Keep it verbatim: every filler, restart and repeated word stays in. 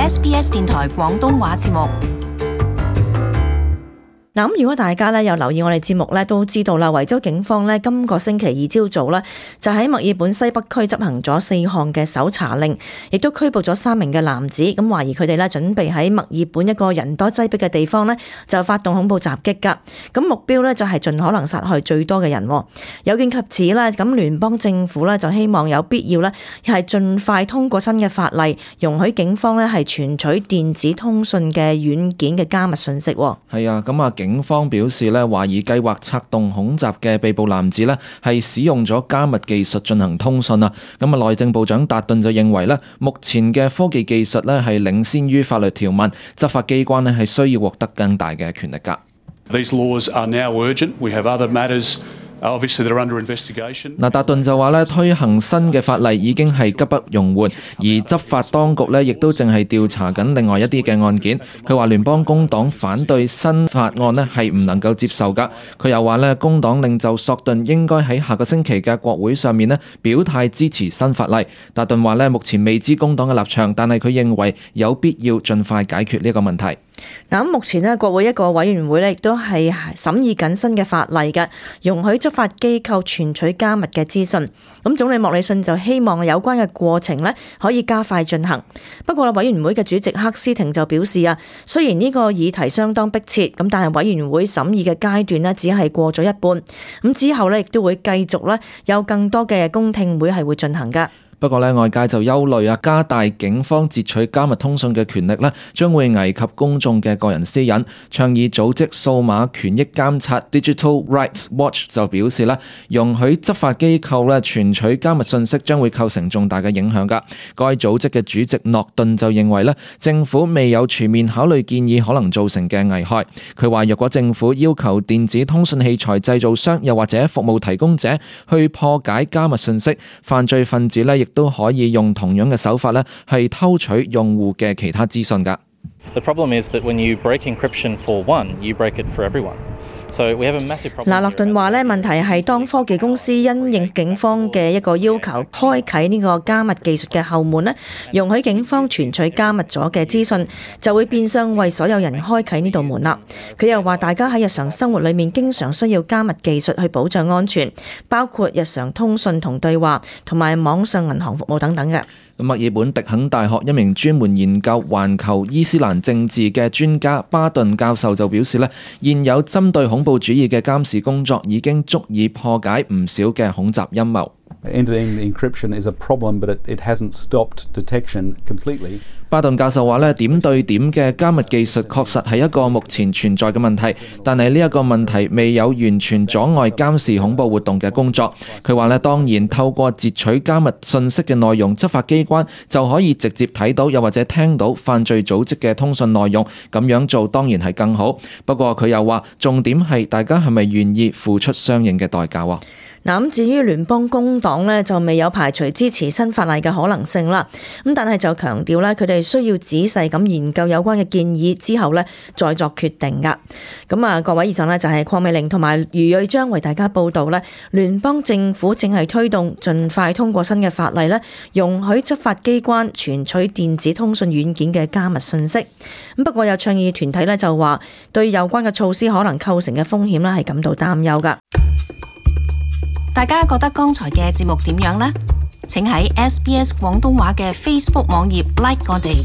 S B S 電台廣東話節目。嗱，咁如果大家咧有留意我哋節目咧，都知道啦，維州警方咧今個星期二朝早咧就喺墨爾本西北區執行咗四項嘅搜查令，亦都拘捕咗三名嘅男子，咁懷疑佢哋咧準備喺墨爾本一個人多擠迫嘅地方咧就發動恐怖襲擊㗎。咁目標咧就係盡可能殺害最多嘅人。有見及此啦，咁聯邦政府咧就希望有必要咧係盡快通過新嘅法例，容許警方咧係存取電子通訊嘅軟件嘅加密信息。係啊，咁啊警方表示咧，懷疑計劃策動恐襲嘅被捕男子咧，係使用咗加密技術進行通訊啊。咁啊，內政部長達頓就認為咧，目前嘅科技技術咧係領先於法律條文，執法機關咧係需要獲得更大嘅權力㗎。These laws are now urgent. We have other matters. Obviously, they're under investigation. 嗱，達頓就話咧，推行新嘅法例已經係急不容緩，而執法當局咧亦都淨係調查緊另外一啲嘅案件。佢話聯邦工黨反對新法案咧係唔能夠接受㗎。佢又話咧，工黨領袖索頓應該喺下個星期嘅國會上面咧表態支持新法例。達頓話咧，目前未知工黨嘅立場，但係佢認為有必要盡快解決呢個問題。嗱，目前咧國會一個委員會咧亦都係審議緊新嘅法例嘅，容許執法機構存取加密嘅資訊。咁總理莫里遜就希望有關嘅過程咧可以加快進行。不過委員會嘅主席克斯廷就表示啊，雖然呢個議題相當迫切，咁但係委員會審議嘅階段咧只係過咗一半，咁之後咧亦都會繼續咧有更多嘅公聽會係會進行㗎。不過咧，外界就憂慮啊，加大警方截取加密通訊嘅權力咧，將會危及公眾嘅個人私隱。倡議組織數碼權益監察 Digital Rights Watch 就表示咧，容許執法機構咧存取加密信息將會構成重大嘅影響㗎。該組織嘅主席諾頓就認為咧，政府未有全面考慮建議可能造成嘅危害。佢話：若果政府要求電子通訊器材製造商又或者服務提供者去破解加密信息，犯罪分子咧亦都可以用同樣嘅手法咧，係偷取用戶嘅其他資訊㗎。The problem is that when you break encryption for one, you break it for everyone. So we have a massive problem. 嗱，諾頓話咧，問題係當科技公司因應警方嘅一個要求，開啟呢個加密技術嘅後門咧，容許警方存取加密咗嘅資訊，就會變相為所有人開啟呢道門啦。佢又話，大家喺日常生活裏面經常需要加密技術去保障安全，包括日常通訊同對話，同埋網上銀行服務等等嘅。墨爾本迪肯大學一名專門研究環球伊斯蘭政治嘅專家巴頓教授就表示咧，現有針對恐怖主義嘅監視工作已經足以破解唔少嘅恐襲陰謀。End-to-end encryption is a problem, but it, it hasn't stopped detection completely. 巴頓教授話咧，點對點嘅加密技術確實係一個目前存在嘅問題，但係呢一個問題未有完全阻礙監視恐怖活動嘅工作。佢話咧，當然透過截取加密信息嘅內容，執法機關就可以直接睇到又或者聽到犯罪組織嘅通訊內容，咁樣做當然係更好。不過佢又話，重點係大家係咪願意付出相應嘅代價啊？嗱，咁至於聯邦工黨咧，就未有排除支持新法例嘅可能性啦。咁但係就強調咧，佢哋需要仔細咁研究有關嘅建議之後咧，再作決定噶。咁啊，各位以上咧就係鄺美玲同埋余瑞章為大家報道咧，聯邦政府正係推動盡快通過新嘅法例咧，容許執法機關存取電子通訊軟件嘅加密信息。咁不過有倡議團體咧就話，對有關嘅措施可能構成嘅風險咧係感到擔憂噶。大家覺得剛才嘅節目點樣呢？請喺 S B S 廣東話嘅 Facebook 網頁 like 我哋。